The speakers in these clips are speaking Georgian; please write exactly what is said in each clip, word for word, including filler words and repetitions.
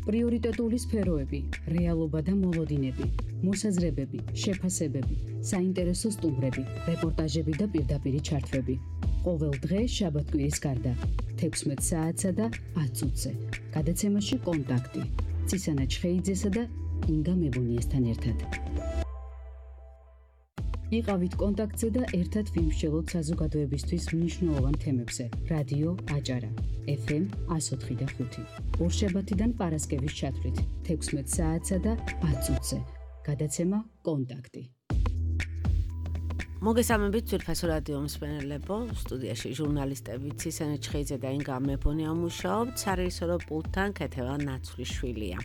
პრიორიტეტული სფეროები, რეალობა და მოლოდინები, მოსაზრებები, შეფასებები, საინტერესო სტუმრები, რეპორტაჟები და პირდაპირი ჩართვები. ყოველ დღე შაბათ-კვირის გარდა, თექვსმეტ საათსა და ათ წუთზე. გადაცემაში კონტაქტი. ცისანა ჩხეიძესა და ინგა მებუნიესთან ერთად. იყავით კონტაქტზე და ერთად ვიმსჯელოთ საზოგადოებისთვის მნიშვნელოვან თემებზე. რადიო აჭარა, ეფ ემ εκατო ოთხი და ხუთი. ორშაბათიდან პარასკევის ჩათვლით, თექვსმეტ საათსა და ათ წუთზე. გადაცემა კონტაქტი. მოგესალმებით ძვირფასო რადიო მსმენელებო, სტუდიაში ჟურნალისტები ცისანა ჩხეიძე და ინგა მებონია მუშაობთ, სარეჟისორო პულტთან ქეთევან ნაცვლიშვილია.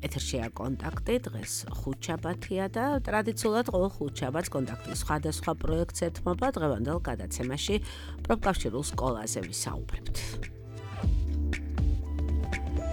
ეთერშია კონტაქტი, დღეს ხუთშაბათია და ტრადიციულად ყოველ ხუთშაბათს კონტაქტის სხვადასხვა პროექტს ეთმობა. დღევანდელ გადაცემაში პროფკავშირულ სკოლაზე ვისაუბრებთ.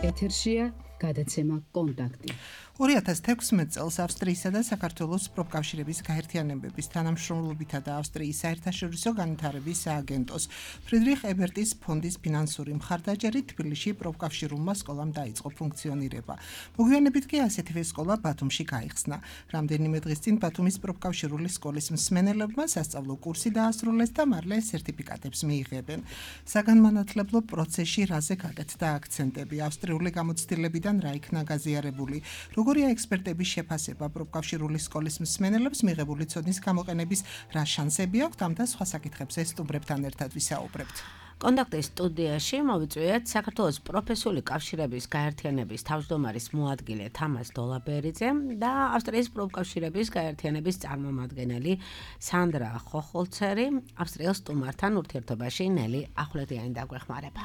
ეთერშია გადაცემა კონტაქტი. ორი ათას თექვსმეტ წელს ავსტრიისა და საქართველოს პროფკავშირების გაერთიანებების თანამშრომლობითა და ავსტრიის საერთაშორისო განვითარების სააგენტოს ფრიდრიხ ებერტის ფონდის ფინანსური მხარდაჭერით თბილისში პროფკავშირულმა სკოლამ დაიწყო ფუნქციონირება. მოგვიანებით კი ასეთივე სკოლა ბათუმში გაიხსნა. რამდენიმე დღის წინ ბათუმის პროფკავშირული სკოლის მსმენელებმა სასწავლო კურსი დაასრულეს და მალე სერტიფიკატებს მიიღებენ. საგანმანათლებლო პროცესში რაზე გაკეთდა აქცენტები, ავსტრიული გამოცდილებიდან რა იქნა გაზიარებული, როგორია ექსპერტების შეფასება პროფკავშირული სკოლის მსმენელებს მიღებული ცოდნის გამოყენების რა შანსები აქვთ, ამ და სხვა საკითხებზე სტუმრებთან ერთად ვისაუბრებთ. კონტაქტის სტუდიაში მოვიწვიეთ საქართველოს პროფესიული კავშირების გაერთიანების თავმჯდომარის მოადგილე თამაზ დოლაბერიძე და ავსტრიის პროფკავშირების გაერთიანების წარმომადგენელი სანდრა ხოხოლცერი, ავსტრიელ სტუმართან ურთიერთობაში ნელი ახვლედიანი დაგვეხმარება.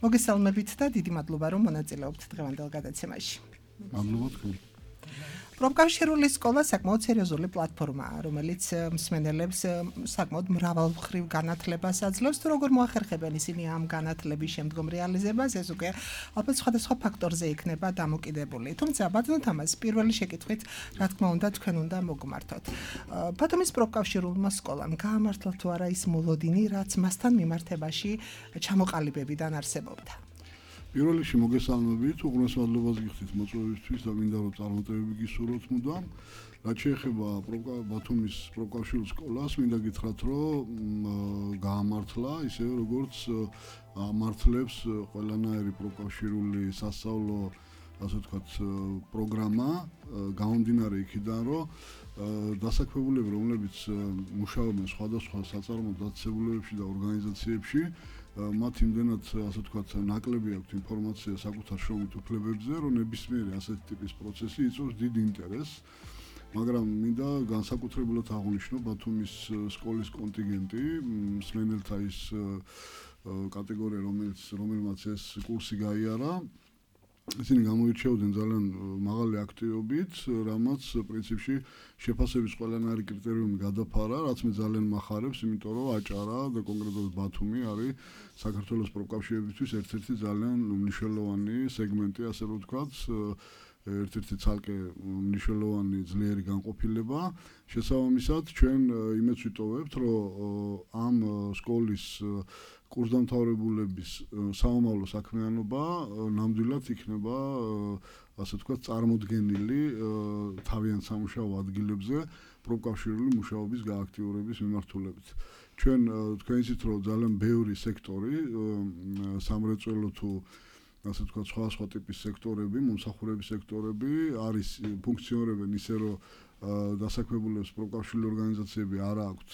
მოგესალმებით და დიდი მადლობა რომ მონაწილეობთ დღევანდელ გადაცემაში. მადლობა თქვენ. პროფკავშირული სკოლა საკმაოდ სერიოზული პლატფორმაა, რომელიც მსმენელებს საკმაოდ მრავალმხრივ განათლებას აძლევს. თუ როგორ მოახერხებენ ისინი ამ განათლების შემდგომ რეალიზებას, ეს უკვე ალბათ სხვადასხვა ფაქტორზე იქნება დამოკიდებული. თუმცა ბატონო თამაზ, პირველი შეკითხვით, რა თქმა უნდა, თქვენ უნდა მოგმართოთ. ბათუმის პროფკავშირულმა სკოლამ გაამართლა თუ არა ის მოლოდინი, რაც მასთან მიმართებაში ჩამოყალიბებიდან არსებობდა? პირველ რიგში მოგესალმებით, უღრმეს მადლობას გიხდით მოწვევისთვის და მინდა რომ წარმატებები გისურვოთ მუდამ. რაც შეეხება ბათუმის პროფკავშირულ სკოლას, მინდა გითხრათ, რომ გაამართლა ისევე როგორც ამართლებს ყველანაირი პროფკავშირული სასწავლო, ასე ვთქვათ, პროგრამა, გამომდინარე იქიდან, რომ დასაქმებულები, რომლებიც მუშაობენ სხვადასხვა საწარმოო დაწესებულებებში და ორგანიზაციებში, მათ იმდენად, ასე ვთქვათ, ნაკლები აქვთ ინფორმაცია საკუთარ შრომით უფლებებზე, რომ ნებისმიერი ასეთი ტიპის პროცესი იწვევს დიდ ინტერესს. მაგრამ მინდა განსაკუთრებულად აღვნიშნო ბათუმის სკოლის კონტინგენტი, მსმენელთა ის კატეგორია, რომელიც რომელმაც ეს კურსი გაიარა. ისინი გამოირჩეოდნენ ძალიან მაღალი აქტივობით, რამაც პრინციპში შეფასების ყველანაირი კრიტერიუმი გადაფარა, რაც მე ძალიან მახარებს, იმიტომ რომ აჭარა და კონკრეტულად ბათუმი არის საქართველოს პროფკავშირებისთვის ერთ-ერთი ძალიან მნიშვნელოვანი სეგმენტი, ასე რომ ვთქვათ, ერთ-ერთი ცალკე მნიშვნელოვანი ძლიერი განყოფილება. შესაბამისად, ჩვენ იმედს ვიტოვებთ, რომ ამ სკოლის კურსდამთავრებულების საომავლო საქმიანობა ნამდვილად იქნება, ასე ვთქვათ, წარმოდგენილი თავიანთ სამუშაო ადგილებზე პროფკავშირული მუშაობის გააქტიურების მიმართულებით. ჩვენ თქვენ იცით, რომ ძალიან ბევრი სექტორი, სამრეწველო თუ ასე ვთქვათ, სხვა-სხვა ტიპის სექტორები, მომსახურების სექტორები არის ფუნქციონირებენ ისე, რომ დასაქმებულებს პროფკავშირული ორგანიზაციები არ აქვთ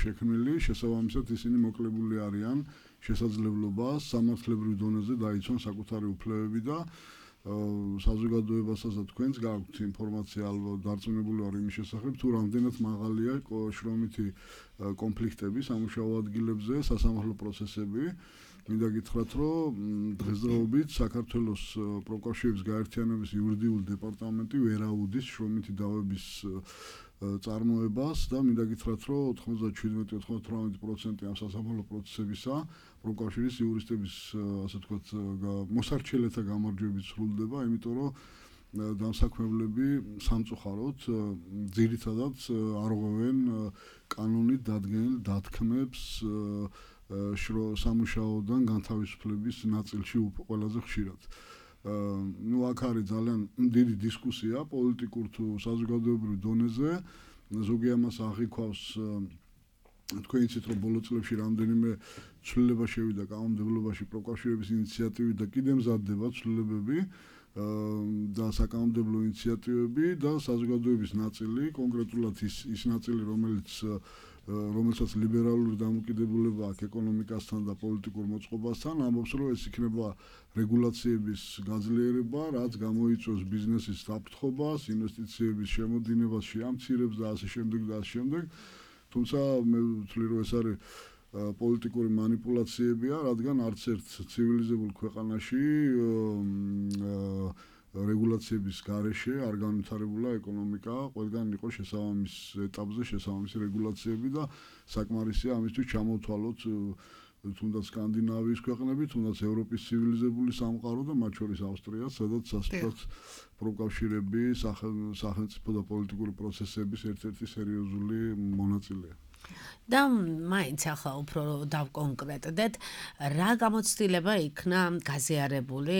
შექმნილი, შესაბამისად ისინი მოკლებული არიან შესაძლებლობას სამართლებრივ დონეზე დაიცვან საკუთარი უფლებები და საზოგადოებასაც და თქვენს გაქვთ ინფორმაცია ალბათ დარწმუნებული ვარ იმის შესახებ, თუ რამდენად მაღალია შრომითი კონფლიქტები სამუშაო ადგილებზე, სასამართლო პროცესები. მინდა გითხრათ, რომ დღესდღეობით საქართველოს პროფკავშირების გაერთიანების იურიდიული დეპარტამენტი ვერ აუდის შრომითი დავების წარმოებას და მინდა გითხრათ, რომ ოთხმოცდაშვიდმეტი ოცდაოთხ პროცენტი ამ სასამართლო პროცესებისა პროფკავშირის იურისტების, ასე ვთქვათ, მოსარჩელეთა გამარჯვებით სრულდება, იმიტომ რომ დამსაქმებლები სამწუხაროდ ძირითადად არღვევენ კანონით დადგენილ დათქმებს სამუშაოდან განთავისუფლების ნაწილში ყველაზე ხშირად. ნუ აქ არის ძალიან დიდი დისკუსია პოლიტიკურ თუ საზოგადოებრივ დონეზე. ზოგი ამას აღიქვავს თქვენ იცით რომ ბოლო წლებში რამდენიმე ცვლილება შევიდა კანონმდებლობაში პროკავშირების ინიციატივით და კიდევ მზადდება ცვლილებები და საკანონმდებლო ინიციატივები და საზოგადოების ნაწილი, კონკრეტულად ის ის ნაწილი, რომელიც რომელსაც ლიბერალური დამოკიდებულება აქვს ეკონომიკასთან და პოლიტიკურ მოწყობასთან, ამბობს რომ ეს იქნება რეგულაციების გაძლიერება, რაც გამოიწვევს ბიზნესის საფრთხობას, ინვესტიციების შემოდინებას შეამცირებს და ასე შემდეგ და ასე შემდეგ. თუმცა მე ვთვლი რომ ეს არის პოლიტიკური манипуляციებია, რადგან არც ერთ ცივილიზებულ ქვეყანაში რეგულაციების გარეშე არ განვითარებულა ეკონომიკა, ყველგან იყო შესაბამის ეტაპზე შესაბამისი რეგულაციები და საკმარისია ამისთვის ჩამოვთვალოთ თუნდაც სკანდინავიის ქვეყნები, თუნდაც ევროპის ცივილიზებული სამყარო და მათ შორის ავსტრია, სადაც სასწრაფოდ პროკავშირები სახელმწიფო და პოლიტიკური პროცესების ერთ-ერთი სერიოზული მონაწილეა. და მაინც ახლა უფრო დავკონკრეტდეთ, რა გამოცდილება იქნა გაზიარებული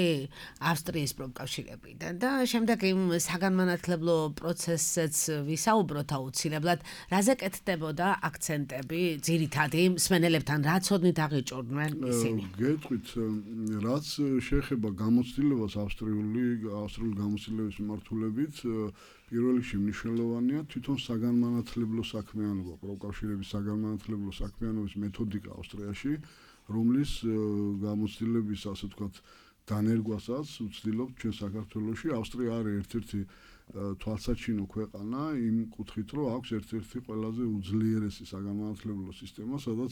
ავსტრიის პროფკავშირებიდან და შემდეგ იმ საგანმანათლებლო პროცესზეც ვისაუბროთ აუცილებლად, რაზე კეთდებოდა აქცენტები ძირითადი მსმენელებთან, რა ცოდნით აღიჭურნენ ისინი? გეტყვით, რაც შეეხება გამოცდილებას ავსტრიული ავსტრიული გამოცდილების მიმართულებით, პირველ რიგში მნიშვნელოვანია თვითონ საგანმანათლებლო საქმიანობა, პროკავშირების საგანმანათლებლო საქმიანობის მეთოდიკა ავსტრიაში, რომლის გამოცდილების, ასე ვთქვათ, დანერგვასაც ვცდილობთ ჩვენ საქართველოში. ავსტრია არის ერთ-ერთი თვალსაჩინო ქვეყანა იმ კუთხით, რომ აქვს ერთ-ერთი ყველაზე უძლიერესი საგანმანათლებლო სისტემა, სადაც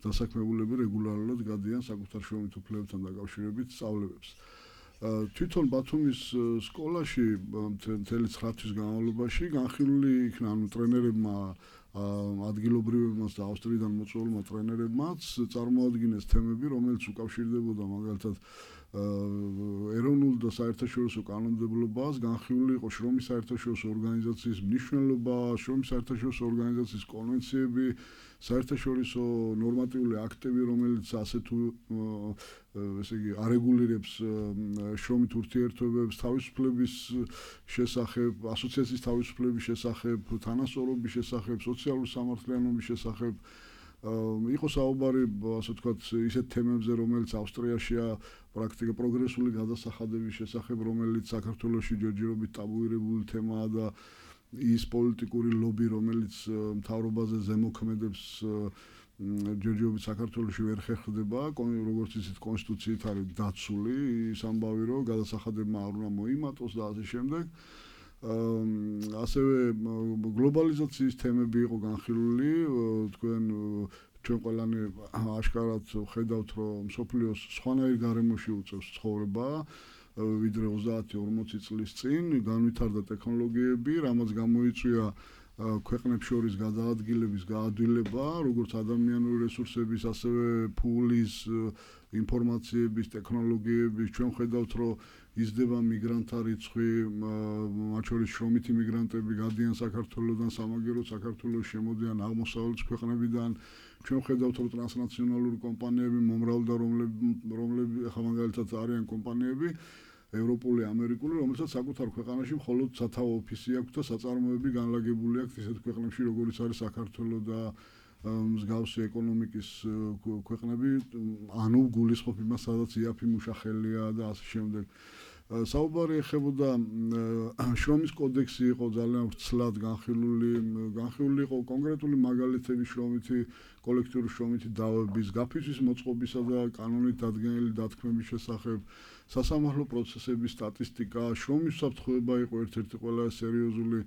დასაქმებულები რეგულარულად გადიან საკუთარ შრომით უფლებებთან დაკავშირებით სწავლებებს. თვითონ ბათუმის სკოლაში მთელი ცხრა თვის განმავლობაში განხილული იქნა ანუ ტრენერებმა ადგილობრივებმაც და ავსტრიიდან მოწვეულმა ტრენერებმაც წარმოადგინეს თემები, რომელიც უკავშირდებოდა მაგალითად ეროვნულ და საერთაშორისო კანონმდებლობას, განხილული იყო შრომის საერთაშორისო ორგანიზაციის მნიშვნელობა, შრომის საერთაშორისო ორგანიზაციის კონვენციები, საერთაშორისო ნორმატიული აქტები, რომელიც ასე თუ ესე იგი არეგულირებს შრომით ურთიერთობებს, თავისუფლების შესახებ, ასოციაციის თავისუფლების შესახებ, თანასწორობის შესახებ, სოციალური სამართლიანობის შესახებ. იყო საუბარი, ასე ვთქვათ, ისეთ თემებზე, რომელიც ავსტრიაშია პრაქტიკა პროგრესული გადასახადების შესახებ, რომელიც საქართველოში ჯერჯერობით ტაბუირებული თემაა და ის პოლიტიკური ლობი, რომელიც მთავრობაზე ზემოქმედებს ჯერჯერობით საქართველოში ვერ ხერხდება, როგორც იცით, კონსტიტუციით არის დაცული ის ამბავი, რომ გადასახადებმა არ უნდა მოიმატოს და ასე შემდეგ. ასევე გლობალიზაციის თემები იყო განხილული, თქვენ ჩვენ ყველანი აშკარად ხედავთ, რომ მსოფლიოს სხვანაირ გარემოში უწევს ცხოვრება, ვიდრე ოცდაათი ორმოცი წლის წინ, განვითარდა ტექნოლოგიები, რამაც გამოიწვია ქვეყნებს შორის გადაადგილების გაადვილება, როგორც ადამიანური რესურსების, ასევე ფულის, ინფორმაციების, ტექნოლოგიების. ჩვენ ხედავთ, რომ იზრდება მიგრანტთა რიცხვი, მათ შორის შრომითი მიგრანტები გადიან საქართველოსდან, სამაგიეროდ საქართველოს შემოდიან აღმოსავლეთის ქვეყნებიდან. ჩვენ ხედავთ, რომ ტრანსნაციონალური კომპანიები მომრავლდა, რომლები ახლა მაგალითად არიან კომპანიები ევროპული, ამერიკული, რომელსაც საკუთარ ქვეყანაში მხოლოდ სათავო ოფისი აქვს და საწარმოები განლაგებული აქვს ისეთ ქვეყნებში, როგორიც არის საქართველო და მსგავსი ეკონომიკის ქვეყნები, ანუ გულისხმობ იმას, სადაც იაფი მუშახელია და ასე შემდეგ. საუბარი ეხებოდა შრომის კოდექსი იყო ძალიან ვრცლად განხილული, განხილული იყო კონკრეტული მაგალითები შრომითი, კოლექტიური შრომითი დავების, გაფიცვის მოწყობისა და კანონით დადგენილი დათქმების შესახებ, სასამართლო პროცესების სტატისტიკა, შრომის უსაფრთხოება იყო ერთ-ერთი ყველა სერიოზული,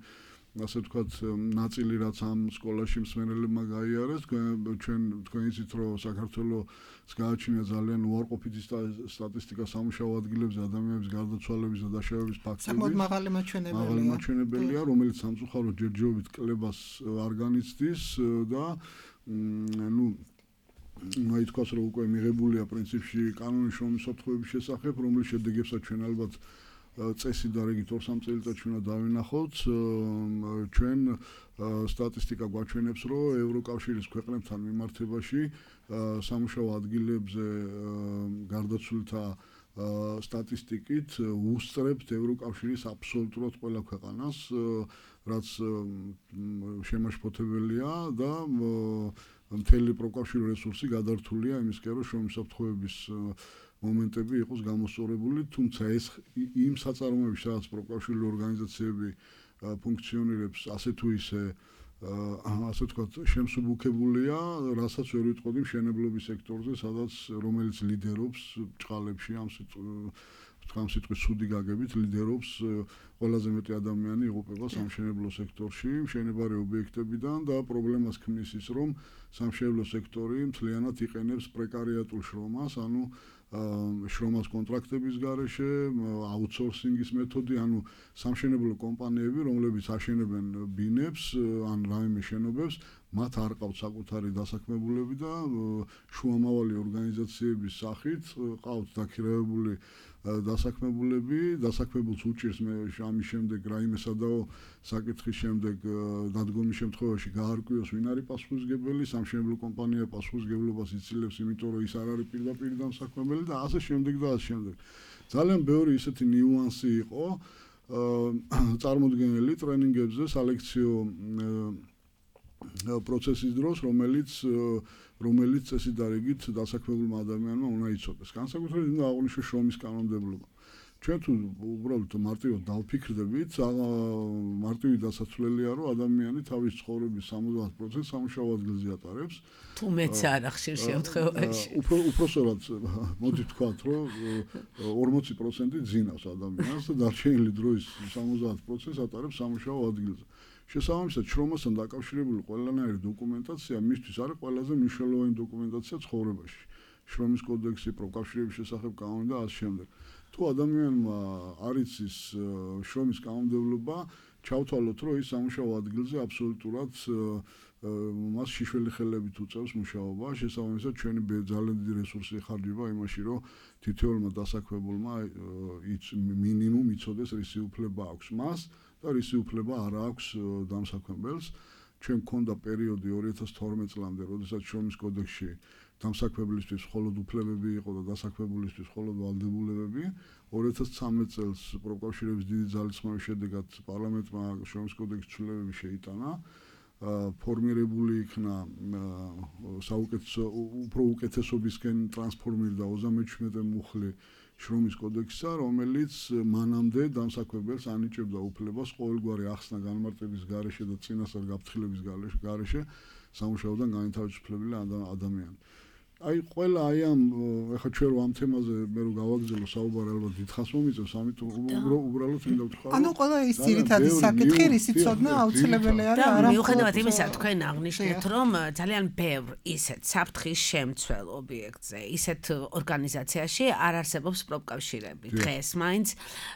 ასე ვთქვათ, ნაწილი, რაც ამ სკოლაში მსმენელებმა გაიარეს. ჩვენ თქვენ იცით, რომ საქართველოს გააჩნია ძალიან უარყოფითი სტატისტიკა სამუშაო ადგილებზე ადამიანების გარდაცვალების და დაშავების ფაქტები. საკმაოდ მაღალი მაჩვენებელია. მაღალი მაჩვენებელია, რომელიც სამწუხაროდ ჯერჯერობით კლებას არ განიცდის და ნუ აი თქვას, რომ უკვე მიღებულია პრინციპში კანონის შრომის უსაფრთხოების შესახებ, რომლის შედეგებსაც ჩვენ ალბათ წესი და რიგით ორ-სამ წელიწადში უნდა დავინახოთ. ჩვენ სტატისტიკა გვაჩვენებს, რომ ევროკავშირის ქვეყნებთან მიმართებაში სამუშაო ადგილებზე გარდაცვლილთა სტატისტიკით უსწრებთ ევროკავშირის აბსოლუტურად ყველა ქვეყანას, რაც შემაშფოთებელია და მთელი პროკავშირი რესურსი გადართულია იმისკენ, რომ შრომის საფრთხეების მომენტები იყოს გამოსწორებული, თუმცა ეს იმ საწარმოებში, სადაც პროკავშირული ორგანიზაციები ფუნქციონირებს, ასე თუ ისე ასე ვთქვათ, შემსუბუქებულია, რასაც ვერ ვიტყოდი მშენებლობის სექტორზე, სადაც რომელიც ლიდერობს ბჭყალებში ამ ამ სიტყვის ცუდი გაგებით ლიდერობს ყველაზე მეტი ადამიანი იღუპება სამშენებლო სექტორში, მშენებარე ობიექტებიდან და პრობლემას ქმნის ის, რომ სამშენებლო სექტორი მთლიანად იყენებს პრეკარიატულ შრომას, ანუ შრომას კონტრაქტების გარეშე, აუთსორსინგის მეთოდი, ანუ სამშენებლო კომპანიები, რომლებიც აშენებენ ბინებს ან რაიმე შენობებს, მათ არ ყავთ საკუთარი დასაქმებულები და შუამავალი ორგანიზაციების სახით ყავთ დაქირავებული დასაქმებულები, დასაქმებულს უჭირს ამის შემდეგ რაიმე სადაო საკითხის შემდეგ დადგომის შემთხვევაში გაარკვიოს ვინ არის პასუხისმგებელი, სამშენებლო კომპანია პასუხისმგებლობას იცილებს, იმიტომ რომ ის არ არის პირდაპირ დამსაქმებელი და ასე შემდეგ და ასე შემდეგ. ძალიან ბევრი ისეთი ნიუანსი იყო წარმოდგენილი ტრენინგებზე, სალექციო პროცესის დროს, რომელიც რომელიც წესით და რიგით დასაქმებულმა ადამიანმა უნდა იცოდეს. განსაკუთრებით უნდა აღვნიშნოს შრომის კანონმდებლობა. ჩვენ თუ უბრალოდ მარტივად დავფიქრდებით, მარტივი დასაცვლელია, რომ ადამიანი თავის ცხოვრების სამოცდაათ პროცენტს სამუშაო ადგილზე ატარებს. თუ მეც არა ხშირ შემთხვევაში. უფრო უпроსორად მოდი ვთქვათ, რომ ორმოცი პროცენტი ძინავს ადამიანს და დარჩენილი დროის სამოცდაათ პროცენტს ატარებს სამუშაო ადგილზე. შესაბამისად, შრომასთან დაკავშირებული ყველანაირი დოკუმენტაცია მისთვის არის ყველაზე მნიშვნელოვანი დოკუმენტაცია ცხოვრებაში. შრომის კოდექსი, პროკავშირების შესახებ კანონი და ასე შემდეგ. თუ ადამიანმა არ იცის შრომის კანონმდებლობა, ჩავთვალოთ, რომ ის სამუშაო ადგილზე აბსოლუტურად მას შიშველი ხელებით უწევს მუშაობა, შესაბამისად, ჩვენი ძალიან დიდი რესურსი იხარჯება იმაში, რომ თითოეულმა დასაქმებულმა მინიმუმ იცოდეს რისი უფლება აქვს მას და რისი უფლება არ აქვს დამსაქმებელს. ჩვენ გქონდა პერიოდი ორი ათას თორმეტ წლამდე, როდესაც შრომის კოდექსში დამსაქმებლისთვის მხოლოდ უფლებები იყო და დასაქმებულისთვის მხოლოდ ვალდებულებები. ორი ათას ცხრამეტ წელს პროკავშირების დიდი ძალისხმევის შედეგად პარლამენტმა შრომის კოდექსის ცვლილებები შეიტანა. ფორმირებული იქნა საუკეთესო უფრო უკეთესობისკენ ტრანსფორმირდა ოცდამეჩვიდმეტე მუხლი შრომის კოდექსსა, რომელიც მანამდე დამსაქმებელს ანიჭებდა უფლებას ყოველგვარი ახსნა განმარტების გარეშე და წინასწარ გაფრთხილების გარეშე სამუშაოდან განთავისუფლებელი ადამიანი. აი ყველა აი ამ ეხლა ჩვენ რომ ამ თემაზე მე რომ გავაგზავნო საუბარი ალბათ დიდხანს მომიწევს, ამიტომ უბრალოდ მინდა ვთქვა. ანუ ყველა ის ძირითადი საკითხი, რისი ცოდნა აუცილებელი არის არა. მიუხედავად იმისა, თქვენ აღნიშნეთ, რომ ძალიან ბევრ ისეთ საფრთხის შემცველ ობიექტზე, ისეთ ორგანიზაციაში არ არსებობს პროფკავშირები. დღეს მაინც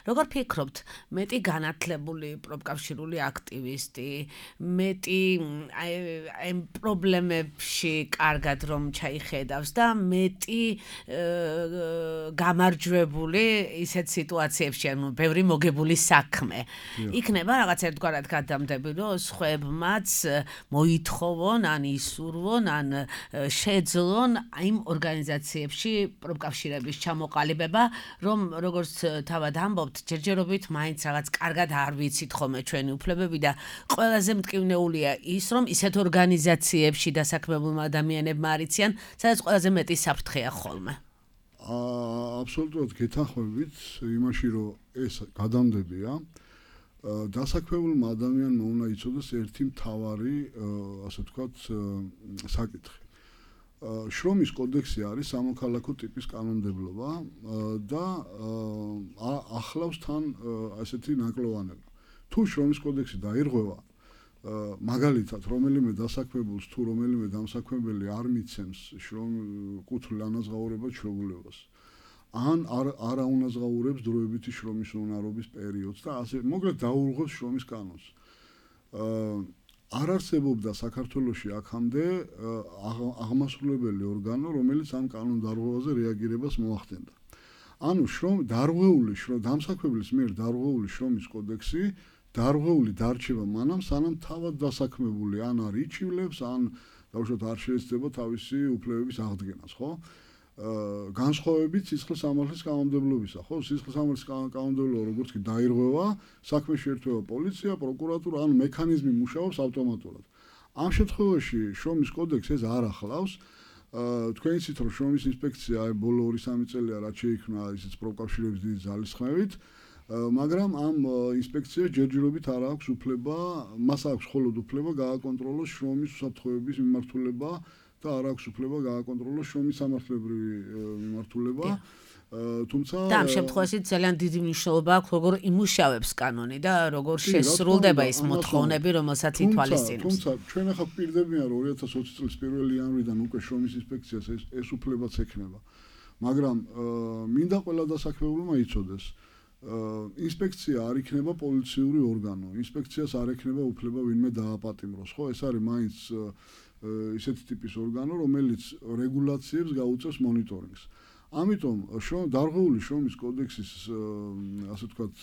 როგორ ფიქრობთ, მეტი განათლებული პროფკავშირული აქტივისტი, მეტი აი ამ პრობლემებში კარგად რომ ჩაიხედა და მეტი გამარჯვებული ისეთ სიტუაციებში, ანუ ბევრი მოგებული საქმე. იქნება რაღაც ერთგვარად გადამდები, რომ სხვებმაც მოითხოვონ, ან ისურვონ, ან შეძლონ იმ ორგანიზაციებში პროფკავშირების ჩამოყალიბება, რომ როგორც თავად ამბობთ, ჯერჯერობით მაინც რაღაც კარგად არ ვიცით ხოლმე ჩვენი უფლებები და ყველაზე მტკივნეულია ის, რომ ისეთ ორგანიზაციებში დასაქმებულმა ადამიანებმა არიციან, სადაც ყველაზე მეტი საფრთხეა ხოლმე. აბსოლუტურად გეთანხმებით იმაში, რომ ეს გადამდებია. დასაქმებულმა ადამიანმა უნდა იცოდეს ერთი მთავარი, ასე ვთქვათ, საკითხი. შრომის კოდექსი არის სამოქალაქო ტიპის კანონმდებლობა და ახლავს თან ასეთი ნაკლოვანება. თუ შრომის კოდექსი დაირღვევა, მაგალითად, რომელიმე დასაქმებულს თუ რომელიმე დამსაქმებელი არ მიცემს კუთვნილ ანაზღაურებად შრომულებას, ან არ არ აუნაზღაურებს დროებითი შრომის უნარობის პერიოდს და ასე მოკლედ დაურღვევს შრომის კანონს. არ არსებობდა საქართველოში აქამდე აღმასრულებელი ორგანო, რომელიც ამ კანონდარღვევაზე რეაგირებას მოახდენდა. ანუ შრომ დარღვეული დამსაქმებლის მიერ დარღვეული შრომის კოდექსი დარღვეული დარჩება მანამ, სანამ თავად დასაქმებული ან არ იჩივლებს, ან დავუშვათ არ შეეცდება თავისი უფლებების აღდგენას, ხო? განსხვავებით სისხლის სამართლის კანონმდებლობისა, ხო? სისხლის სამართლის კანონმდებლობა როგორც კი დაირღვევა, საქმე შეერთება პოლიცია, პროკურატურა, ანუ მექანიზმი მუშაობს ავტომატურად. ამ შემთხვევაში შრომის კოდექსი ეს არ ახლავს. თქვენ იცით, რომ შრომის ინსპექცია აი ბოლო ორი სამი წელია რაც შეიქმნა ისიც პროკავშირების დიდი ძალისხმევით, მაგრამ ამ ინსპექციას ჯერჯერობით არ აქვს უფლება, მას აქვს მხოლოდ უფლება გააკონტროლოს შრომის უსაფრთხოების მიმართულება და არ აქვს უფლება გააკონტროლოს შრომის სამართლებრივი მიმართულება. თუმცა და ამ შემთხვევაში ძალიან დიდი მნიშვნელობა აქვს როგორ იმუშავებს კანონი და როგორ შესრულდება ის მოთხოვნები, რომელსაც ითვალისწინებს. თუმცა ჩვენ ახლა გვპირდებიან რომ ორი ათას ოცი წლის პირველი იანვრიდან უკვე შრომის ინსპექციას ეს ეს უფლებაც ექნება. მაგრამ მინდა ყველა დასაქმებულმა იცოდეს, ინსპექცია არ იქნება პოლიციური ორგანო. ინსპექციას არ ექნება უფლება ვინმე დააპატიმროს, ხო? ეს არის მაინც ისეთი ტიპის ორგანო, რომელიც რეგულაციებს გაუწევს მონიტორინგს. ამიტომ დარღვეული შრომის კოდექსის ასე ვთქვათ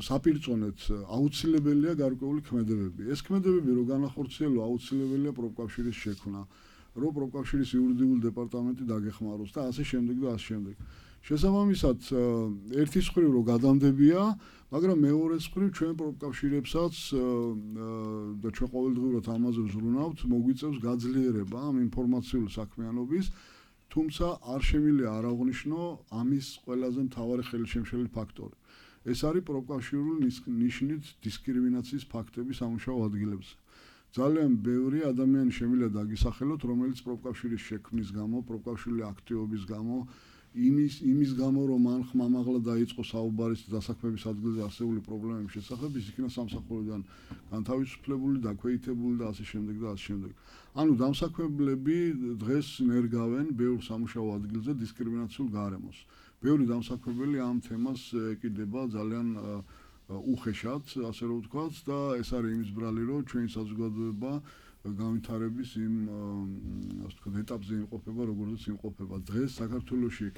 საპირწონეთ აუცილებელია გარკვეული ქმედებები. ეს ქმედებები რო განახორციელო აუცილებელია პროფკავშირის შექმნა, რომ პროფკავშირის იურიდიული დეპარტამენტი დაგეხმაროს და ასე შემდეგ და ასე შემდეგ. შესაბამისად ერთი მხრივ რო გადამდებია, მაგრამ მეორე მხრივ ჩვენ პროფკავშირებსაც და ჩვენ ყოველდღიურად ამაზე ვზრუნავთ, მოგვიწევს გაძლიერება ამ ინფორმაციული საქმიანობის, თუმცა არ შემიძლია არ აღვნიშნო ამის ყველაზე მთავარი ხელშემშელი ფაქტორი. ეს არის პროფკავშირული ნიშნით დისკრიმინაციის ფაქტები სამუშაო ადგილებზე. ძალიან ბევრი ადამიანი შემიძლია დაგისახელოთ, რომელიც პროფკავშირის შექმნის გამო, პროფკავშირული აქტივობის გამო, იმის იმის გამო რომ მან ხმამაღლა დაიწყო საუბარი დასაქმების ადგილზე არსებული პრობლემების შესახებ, ის იქნა სამსახურიდან განთავისუფლებული, დაქვეითებული და ასე შემდეგ და ასე შემდეგ. ანუ დამსაქმებლები დღეს ნერგავენ ბევრ სამუშაო ადგილზე დისკრიმინაციულ გარემოს. ბევრი დამსაქმებელი ამ თემას ეკიდება ძალიან უხეშად, ასე რომ ვთქვათ, და ეს არის იმის ბრალი, რომ ჩვენი საზოგადოება განვითარების იმ ასე ვთქვათ ეტაპზე იმყოფება, როგორიც იმყოფება. დღეს საქართველოში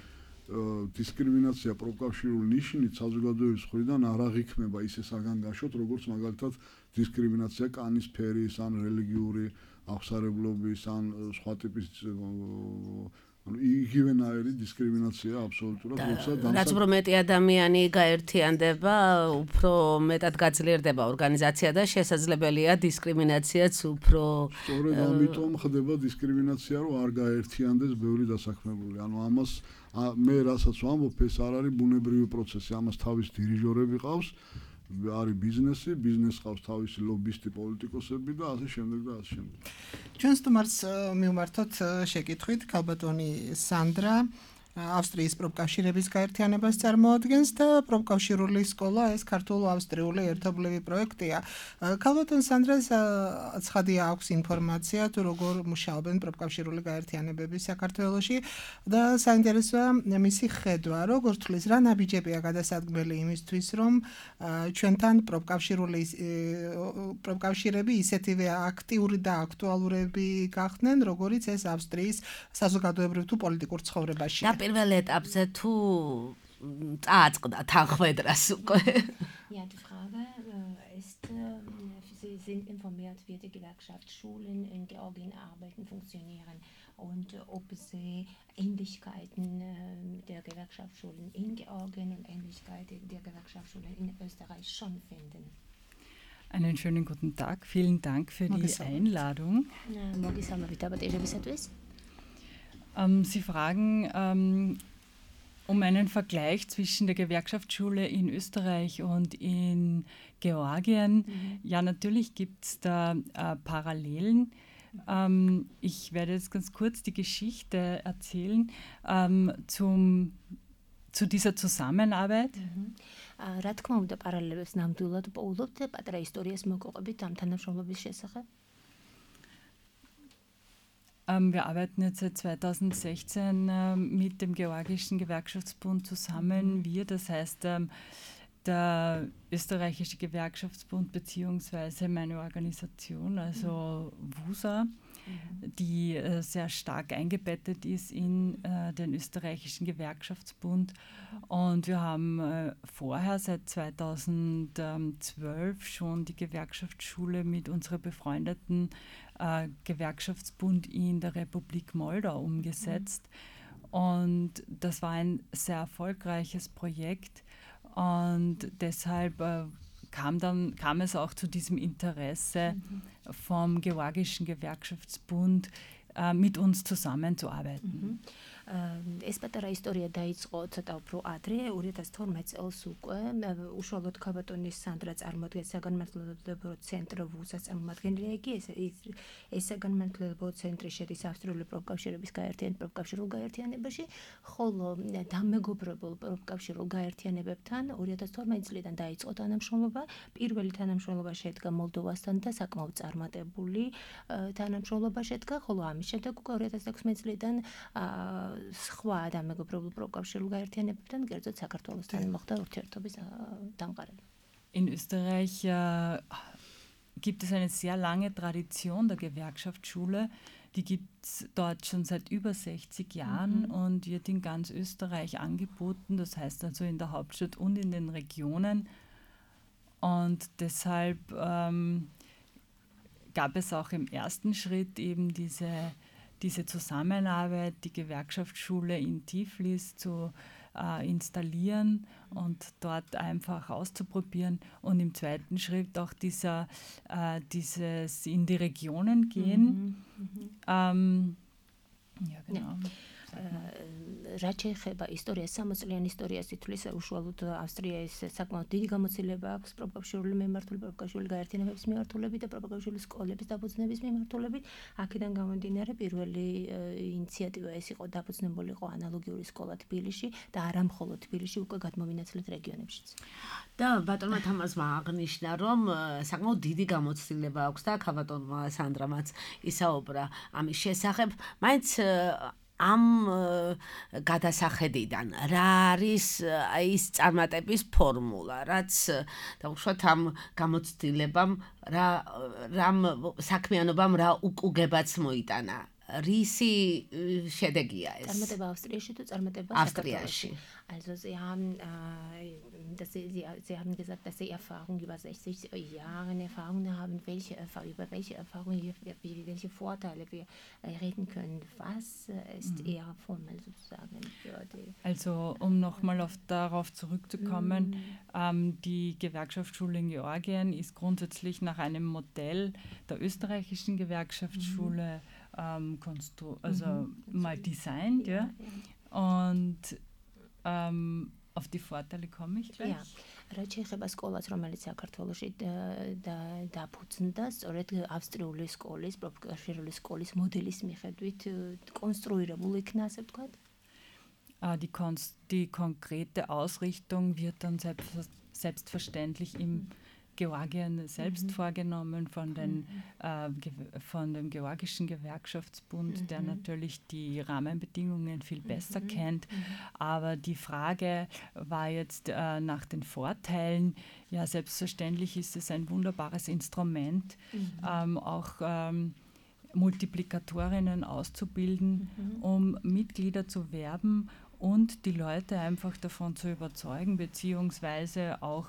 დისკრიმინაცია პროფკავშირული ნიშნით საზოგადოების მხრიდან არ აღიქმება ისე საგანგაშოდ, როგორც მაგალითად დისკრიმინაცია კანის ფერის ან რელიგიური აღსარებლობის ან სხვა ტიპის იგივენაირი დისკრიმინაცია აბსოლუტურად, როცა რაც უფრო მეტი ადამიანი გაერთიანდება, უფრო მეტად გაძლიერდება ორგანიზაცია და შესაძლებელია დისკრიმინაციაც უფრო სწორედ ამიტომ ხდება დისკრიმინაცია, რომ არ გაერთიანდეს ბევრი დასაქმებული. ანუ ამას მე რასაც ვამბობ, ეს არ არის ბუნებრივი პროცესი, ამას თავის დირიჟორები ყავს, არის ბიზნესი, ბიზნესს ყავს თავისი ლობისტი, პოლიტიკოსები და ასე შემდეგ და ასე შემდეგ. ჩვენ სტუმარს მივმართოთ შეკითხვით, ქალბატონი სანდრა ავსტრიის პროფკავშირების გაერთიანებას წარმოადგენს და პროფკავშირული სკოლა ეს ქართულ-ავსტრიული ერთობლივი პროექტია. ქალბატონ სანდრას ცხადია აქვს ინფორმაცია თუ როგორ მუშაობენ პროფკავშირული გაერთიანებები საქართველოში და საინტერესოა მისი ხედვა, როგორ თulis რა ნაბიჯებია გადასადგმელი იმისთვის, რომ ჩვენთან პროფკავშირული პროფკავშირები ისეთივე აქტიური და აქტუალურები გახდნენ, როგორიც ეს ავსტრიის საზოგადოებრივ თუ პოლიტიკურ ცხოვრებაში. პირველ ეტაპზე თუ წააწყდა თანხმედრას უკვე. Ja, die Frage ist, Sie sind informiert, wie die Gewerkschaftsschulen in Georgien arbeiten, funktionieren und ob Sie Ähnlichkeiten der Gewerkschaftsschulen in Georgien und Ähnlichkeiten der Gewerkschaftsschulen in Österreich schon finden. Einen schönen guten Tag, vielen Dank für die Einladung. Ähm, Sie fragen ähm, um einen Vergleich zwischen der Gewerkschaftsschule in Österreich und in Georgien. Mhm. Ja, natürlich gibt es da äh, Parallelen. Ähm, ich werde jetzt ganz kurz die Geschichte erzählen ähm, zum, zu dieser Zusammenarbeit. რა თქმა უნდა, პარალელებს ნამდვილად პოულობთ პატარა ისტორიას მოგყვებით ამ თანამშრომლობის შესახებ. Ähm, wir arbeiten jetzt seit zweitausendsechzehn ähm, mit dem Georgischen Gewerkschaftsbund zusammen. Wir, das heißt ähm, der österreichische Gewerkschaftsbund beziehungsweise meine Organisation, also W U S A, die äh, sehr stark eingebettet ist in äh, den österreichischen Gewerkschaftsbund. Und wir haben äh, vorher seit zweitausendzwölf schon die Gewerkschaftsschule mit unserer befreundeten äh, Gewerkschaftsbund in der Republik Moldau umgesetzt. Mhm. Und das war ein sehr erfolgreiches Projekt und deshalb äh, kam, dann, kam es auch zu diesem Interesse mhm. vom Georgischen Gewerkschaftsbund, äh, mit uns zusammenzuarbeiten. Mhm. ეს პატარა ისტორია დაიწყო ცოტა უფრო ადრე, ორი ათას თორმეტ წელს უკვე, უშუალოდ ქაბატონის სანდრა წარმოადგენს საგანმანათლებლო ცენტრ ვუსაც წარმომადგენელი იგი, ეს ეს საგანმანათლებლო ცენტრი შედის ავსტრიული პროფკავშირების გაერთიანებულ პროფკავშირულ გაერთიანებაში, ხოლო დამეგობრებულ პროფკავშირულ გაერთიანებებთან ორი ათას თორმეტ წლიდან დაიწყო თანამშრომლობა, პირველი თანამშრომლობა შედგა მოლდოვასთან და საკმაოდ წარმატებული თანამშრომლობა შედგა, ხოლო ამის შემდეგ უკვე ორი ათას ექვსმეტ წლიდან სხვა დამეგობრებულ პროფკავშირულ გაერთიანებებთან, კერძოდ საქართველოსთან მოხდა ურთიერთობის დამყარება. In Österreich äh, gibt es eine sehr lange Tradition der Gewerkschaftsschule. Die gibt es dort schon seit über sechzig Jahren mhm. und wird in ganz Österreich angeboten, das heißt also in der Hauptstadt und in den Regionen. Und deshalb ähm, gab es auch im ersten Schritt eben diese diese Zusammenarbeit, die Gewerkschaftsschule in Tiflis zu äh, installieren und dort einfach auszuprobieren und im zweiten Schritt auch dieser, äh, dieses in die Regionen gehen. Mhm, mhm. Ähm, ja, genau. Ja. რაც შეეხება ისტორიას, სამოწლიან ისტორიას ითვლის უშუალოდ ავსტრიის საკმაოდ დიდი გამოცდილება აქვს პროფკავშირული მემართული პროფკავშირული გაერთიანებების მიმართულებით და პროფკავშირული სკოლების დაფუძნების მიმართულებით. აქედან გამომდინარე პირველი ინიციატივა ეს იყო დაფუძნებული იყო ანალოგიური სკოლა თბილისში და არა მხოლოდ თბილისში, უკვე გადმოვინაცვლეთ რეგიონებშიც. და ბატონმა თამაზმა აღნიშნა, რომ საკმაოდ დიდი გამოცდილება აქვს და ქაბატონმა სანდრამაც ისაუბრა ამის შესახებ. მაინც ამ გადასახედიდან რა არის ის წარმატების ფორმულა, რაც დაუშვათ ამ გამოცდილებამ რა რამ საქმიანობამ რა უკუგებაც მოიტანა. რისი შედეგია ეს? წარმატება ავსტრიაში თუ წარმატება ავსტრიაში? Also sie haben, äh, dass sie, sie, sie haben gesagt, dass sie Erfahrung über sechzig Jahre Erfahrung haben, welche über welche Erfahrung, welche Vorteile wir reden können. Was ist mhm. eher formell sozusagen für die? Also um nochmal auf, darauf zurückzukommen, mhm. ähm, die Gewerkschaftsschule in Georgien ist grundsätzlich nach einem Modell der österreichischen Gewerkschaftsschule mhm. ähm, konstru also mhm. mal designt, ja, ja. Und Um, auf die Vorteile komme ich gleich. რაც შეეხება სკოლას, რომელიც საქართველოში დაფუძნდა, სწორედ ავსტრიული სკოლის, პროფკავშირული სკოლის მოდელის მიხედვით კონსტრუირებული იქნა, ასე ვთქვათ. Die, die konkrete Ausrichtung wird dann selbst, selbstverständlich im mhm. Georgien selbst mhm. vorgenommen von, den, mhm. äh, von dem Georgischen Gewerkschaftsbund, mhm. der natürlich die Rahmenbedingungen viel besser mhm. kennt. Mhm. Aber die Frage war jetzt äh, nach den Vorteilen. Ja, selbstverständlich ist es ein wunderbares Instrument, mhm. ähm, auch ähm, Multiplikatorinnen auszubilden, mhm. um Mitglieder zu werben und die Leute einfach davon zu überzeugen, beziehungsweise auch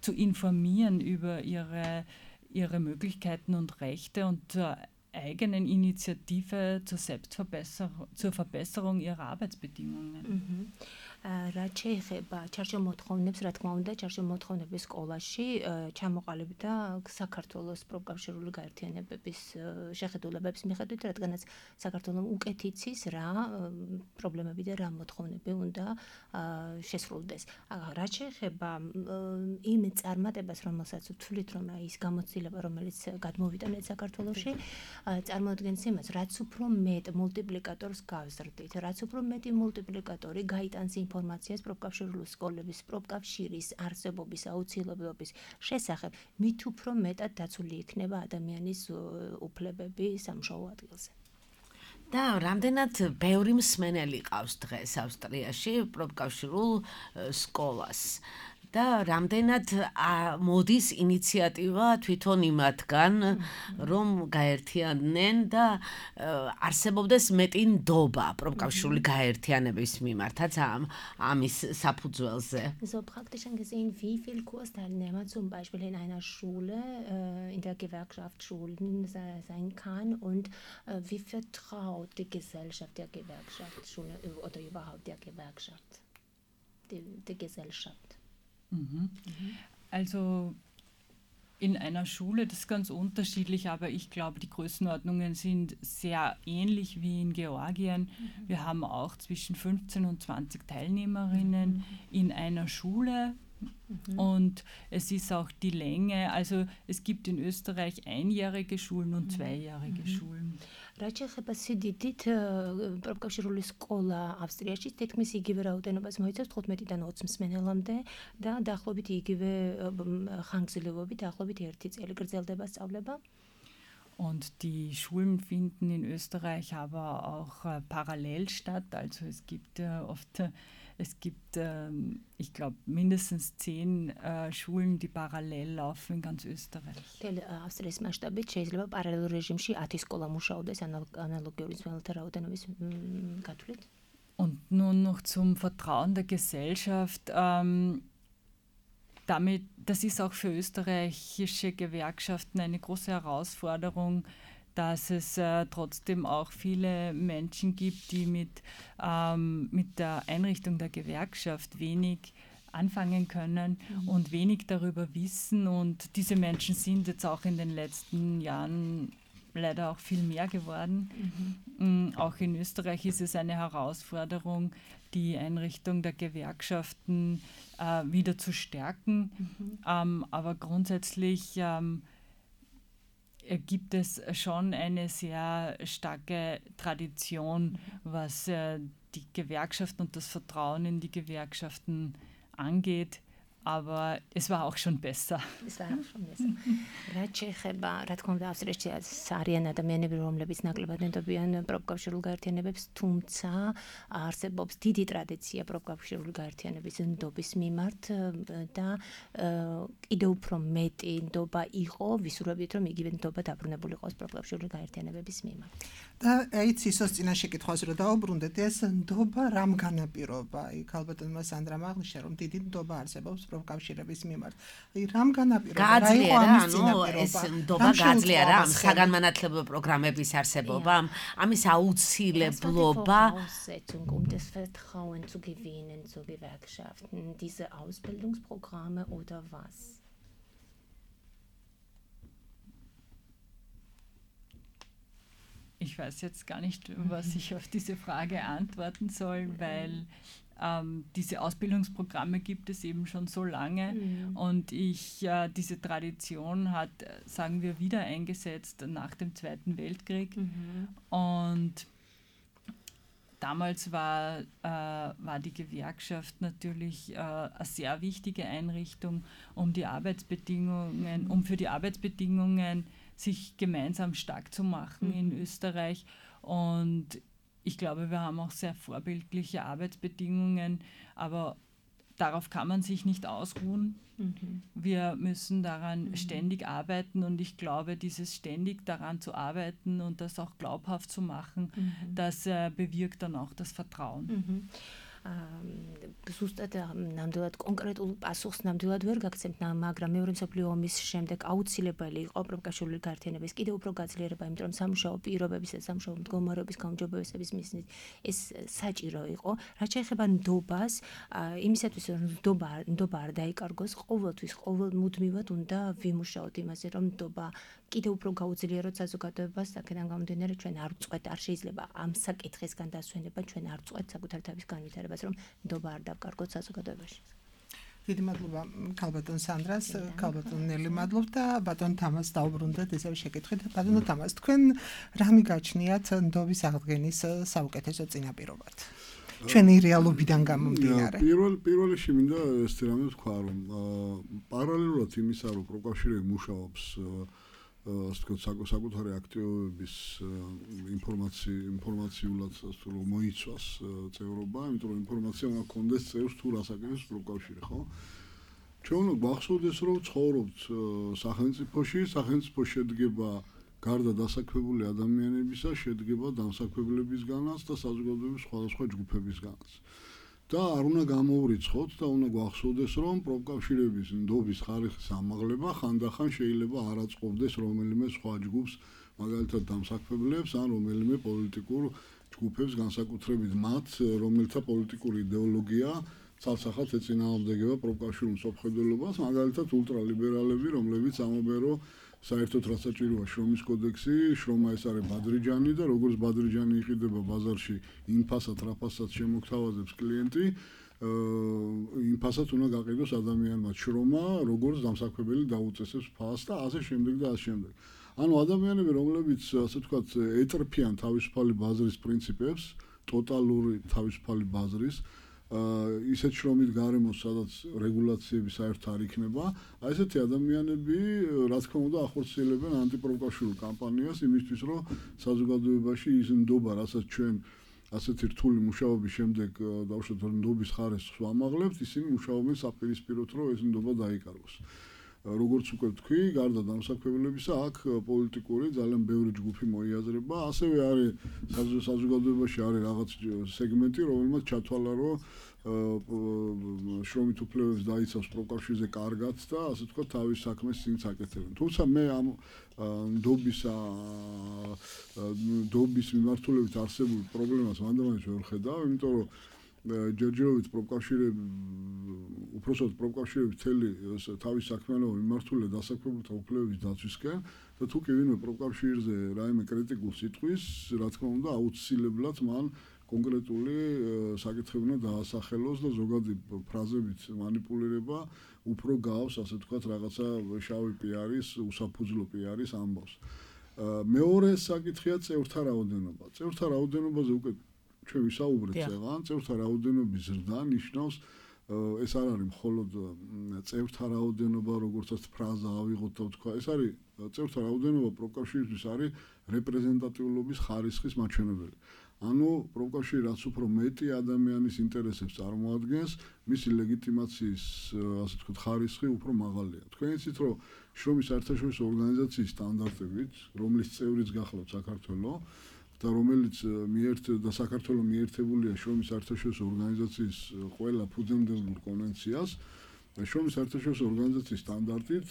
zu informieren über ihre, ihre Möglichkeiten und Rechte und zur eigenen Initiative zur Selbstverbesserung, zur Verbesserung ihrer Arbeitsbedingungen. Mhm. რაც შეეხება ჩარჩომოთხოვნებს, რა თქმა უნდა, ჩარჩომოთხოვნების სკოლაში ჩამოყალიბდა საქართველოს პროფკავშირული გაერთიანებების შეხედულებების მიხედვით, რადგანაც საქართველოს უკეთ იცის რა პრობლემები და რა მოთხოვნები უნდა შესრულდეს. რაც შეეხება იმ წარმატებას, რომელსაც ვთვლით, რომ ის გამოცდილება, რომელიც გადმოვიტანეთ საქართველოში, წარმოადგენს იმას, რაც უფრო მეტ მულტიპლიკატორს გავზრდით, რაც უფრო მეტი მულტიპლიკატორი გაიტანს ინფორმაციას პროფკავშირული სკოლების, პროფკავშირის არსებობის აუცილებლობის შესახებ, მით უფრო მეტად დაცული იქნება ადამიანის უფლებები სამშობლო ადგილზე. და რამდენად ბევრი მსმენელი ყავს დღეს ავსტრიაში პროფკავშირულ სკოლას. და რამდენად მოდის ინიციატივა თვითონ იმათგან, რომ გაერთიანდნენ და არსებობდეს მეტი ნდობა პროფკავშირული გაერთიანების მიმართაც ამ ამის საფუძველზე. So praktisch gesehen, wie viel Kursteilnehmer zum Beispiel in einer Schule, äh, in der Gewerkschaft Schulen sein kann und äh, wie vertraut die Gesellschaft der Gewerkschaft Schule oder überhaupt der Gewerkschaft, die, die Gesellschaft. Mhm. Mhm. Also in einer Schule, das ist ganz unterschiedlich, aber ich glaube, die Größenordnungen sind sehr ähnlich wie in Georgien. Mhm. Wir haben auch zwischen fünfzehn und zwanzig Teilnehmerinnen mhm. in einer Schule. Mhm. Und es ist auch die Länge, also es gibt in Österreich einjährige Schulen und zweijährige mhm. Schulen. რაც შეეხება სიდიდით პროფკავშირული სკოლა ავსტრიაში თითქმის იგივე რაოდენობას მოიცავს თხუთმეტიდან ოცი მსმენელამდე და დაახლოებით იგივე ხანგრძლივობით დაახლოებით ერთი წელი გრძელდება სწავლება. Und die Schulen finden in Österreich aber auch äh, parallel statt. Also es gibt äh, oft, äh, es gibt, äh, ich glaube, mindestens zehn äh, Schulen, die parallel laufen in ganz Österreich. Австрიის მასშტაბით შეიძლება პარალელურ რეჟიმში ათი სკოლა მუშაობდეს ანალოგიური ძველთა რაოდენობის გათვლით. Und nun noch zum Vertrauen der Gesellschaft. Ähm, Damit, das ist auch für österreichische Gewerkschaften eine große Herausforderung, dass es äh, trotzdem auch viele Menschen gibt, die mit, ähm, mit der Einrichtung der Gewerkschaft wenig anfangen können mhm. und wenig darüber wissen. Und diese Menschen sind jetzt auch in den letzten Jahren leider auch viel mehr geworden. Mhm. Auch in Österreich ist es eine Herausforderung, die Einrichtung der Gewerkschaften äh, wieder zu stärken. Mhm. Ähm, aber grundsätzlich ähm, gibt es schon eine sehr starke Tradition, mhm. was äh, die Gewerkschaften und das Vertrauen in die Gewerkschaften angeht. Aber es war auch schon besser. Es war auch schon besser. რაც შეეხება, რა თქმა უნდა, ავსტრიაში არიან ადამიანები, რომლებიც ნაკლებად ნდობიან პროფკავშირულ გაერთიანებებს, თუმცა არსებობს დიდი ტრადიცია პროფკავშირული გაერთიანების ნდობის მიმართ და კიდევ უფრო მეტი ნდობა იყო, ვისურვებით, რომ იგივე ნდობა დაბრუნებული იყოს პროფკავშირული გაერთიანებების მიმართ. და ეიც ისოს წინაშე კითხვას რო დაუბრუნდეთ, ეს ნდობა რამ განაპირობა? იქ ალბათ მას ანდრამ აღნიშნა, რომ დიდი ნდობა არსებობს პროფკავშირების მიმართ. აი რამ განაპირობა? რა იყო ამის წინაპირობა? ეს ნდობა გაძლიერა რა ამ საგანმანათლებლო პროგრამების არსებობამ, ამის აუცილებლობა. Um das Vertrauen zu gewinnen zu Gewerkschaften, diese Ausbildungsprogramme oder was? Ich weiß jetzt gar nicht, was ich auf diese Frage antworten soll, weil ähm, diese Ausbildungsprogramme gibt es eben schon so lange mhm. und ich, äh, diese Tradition hat, sagen wir, wieder eingesetzt nach dem Zweiten Weltkrieg mhm. und damals war, äh, war die Gewerkschaft natürlich äh, eine sehr wichtige Einrichtung, um die Arbeitsbedingungen, um für die Arbeitsbedingungen sich gemeinsam stark zu machen mhm. in Österreich. Und ich glaube, wir haben auch sehr vorbildliche Arbeitsbedingungen, aber darauf kann man sich nicht ausruhen. Mhm. Wir müssen daran mhm. ständig arbeiten und ich glaube, dieses ständig daran zu arbeiten und das auch glaubhaft zu machen, mhm. das äh, bewirkt dann auch das Vertrauen. Mhm. ზუსტად ნამდვილად კონკრეტულ პასუხს ნამდვილად ვერ გაგცემთ, მაგრამ მეორე მსოფლიო ომის შემდეგ აუცილებელი იყო პროფკავშირული გაერთიანების კიდევ უფრო გაძლიერება, იმიტომ რომ სამუშაო პირობების და სამუშაო მდგომარეობის გაუმჯობესების მიზნით ეს საჭირო იყო. რაც შეეხება ნდობას, იმისათვის რომ ნდობა ნდობა არ დაიკარგოს, ყოველთვის ყოველ მუდმივად უნდა ვიმუშაოთ იმაზე, რომ ნდობა კიდევ უფრო გაუძლიეროთ საზოგადოებას, აქედან გამომდინარე ჩვენ არ ვწყვეტ, არ შეიძლება ამ საკითხისგან დასვენება, ჩვენ არ ვწყვეტ საკუთარ თავის განვითარებას, რომ ნდობა არ დავკარგოთ საზოგადოებაში. დიდი მადლობა ქალბატონ სანდრას, ქალბატონ ნელი მადლობ და ბატონ თამას დაუბრუნდეთ ესევ შეკითხვით. ბატონო თამას, თქვენ რა მიგაჩნიათ ნდობის აღდგენის საუკეთესო წინაპირობად? ჩვენი რეალობიდან გამომდინარე. პირველ პირველში მინდა ეს რამე ვთქვა, რომ პარალელურად იმისა, რომ პროფკავშირები მუშაობს ასე ვთქვათ, საკუთარი აქტივობების ინფორმაცია ინფორმაციულად რომ მოიცვას წევრობა, იმიტომ რომ ინფორმაცია უნდა კონდეს წევრს თუ რას აკეთებს პროფკავშირი, ხო? ჩვენ უნდა გვახსოვდეს, რომ ცხოვრობთ სახელმწიფოში, სახელმწიფო შედგება გარდა დასაქმებული ადამიანებისა, შედგება დამსაქმებლებისგანაც და საზოგადოების სხვადასხვა ჯგუფებისგანაც. და არ უნდა გამოვრიცხოთ და უნდა გვახსოვდეს, რომ პროფკავშირების ნდობის ხარისხის ამაღლება ხანდახან შეიძლება არ აწყობდეს რომელიმე სხვა ჯგუფს, მაგალითად დამსაქმებლებს ან რომელიმე პოლიტიკურ ჯგუფებს, განსაკუთრებით მათ, რომელთა პოლიტიკური იდეოლოგია ცალსახად ეწინააღმდეგება პროფკავშირულ მსოფლმხედველობას, მაგალითად ულტრალიბერალები, რომლებიც ამბობენ, რომ საერთოდ რაც საჭიროა შრომის კოდექსი, შრომა ეს არის ბადრიჯანი და როგორც ბადრიჯანი იყიდება ბაზარში, იმ ფასად, რა ფასად შემოგთავაზებს კლიენტი, იმ ფასად უნდა გაყიდოს ადამიანმა შრომა, როგორც დამსაქმებელი დაუწესებს ფასს და ასე შემდეგ და ასე შემდეგ. ანუ ადამიანები, რომლებიც ასე ვთქვათ, ეტრფიან თავისუფალი ბაზრის პრინციპებს, ტოტალური თავისუფალი ბაზრის ისეთ შრომით გარემოს, სადაც რეგულაციები საერთოდ არ იქნება, აი ესეთი ადამიანები, რა თქმა უნდა, ახორციელებენ ანტიპროფკავშირულ კამპანიას იმისთვის, რომ საზოგადოებაში ის ნდობა, რასაც ჩვენ ასეთი რთული მუშაობის შემდეგ დავუშვათ ნდობის ხარისხს ვამაღლებთ, ისინი მუშაობენ საპირისპიროდ, რომ ეს ნდობა დაიკარგოს. როგორც უკვე ვთქვი, გარდა დამსაქმებლებისა, აქ პოლიტიკური ძალიან ბევრი ჯგუფი მოიაზრება, ასევე არის საზოგადოებაში არის რაღაც სეგმენტი, რომელმაც ჩათვალა, რომ შრომით უფლებებს დაიცავს პროფკავშირზე კარგად და ასე ვთქვათ, თავის საქმეს წინც აკეთებენ. თუმცა მე ამ ნდობისა ნდობის მიმართულებით არსებულ პრობლემას მანდამაინც ვერ ხედავ, იმიტომ რომ ჯერჯერობით პროფკავშირები უпроსოდ პროფკავშირები მთელი თავის საქმიანობა მიმართულია დასაქმებულთა უფლებების დაცვისკენ და თუ კი ვინმე პროფკავშირზე რაიმე კრიტიკულს იტყვის, რა თქმა უნდა, აუცილებლად მან კონკრეტული საკითხი უნდა დაასახელოს და ზოგადი ფრაზებით манипуლირება უფრო გავს, ასე ვთქვათ, რაღაცა შავი პიარის, უსაფუძვლო პიარის ამბავს. მეორე საკითხია წევრთა რაოდენობა. წევრთა რაოდენობაზე უკვე ჩვენ ვისაუბრეთ წეღან, წევრთა რაოდენობის ზრდა ნიშნავს ეს არ არის მხოლოდ წევრთა რაოდენობა, როგორცაც ფრაზა ავიღოთ და ვთქვა, ეს არის წევრთა რაოდენობა პროფკავშირისთვის არის რეპრეზენტატიულობის ხარისხის მაჩვენებელი. ანუ პროფკავშირი რაც უფრო მეტი ადამიანის ინტერესებს წარმოადგენს, მისი ლეგიტიმაციის, ასე ვთქვათ, ხარისხი უფრო მაღალია. თქვენ იცით, რომ შრომის საერთაშორისო ორგანიზაციის სტანდარტებით, რომლის წევრიც გახლავთ საქართველოს და რომელიც მიერთ და საქართველოს მიერთებულია შრომის საერთაშორისო ორგანიზაციის ყველა ფუძემდებურ კონვენციას, შრომის საერთაშორისო ორგანიზაციის სტანდარტით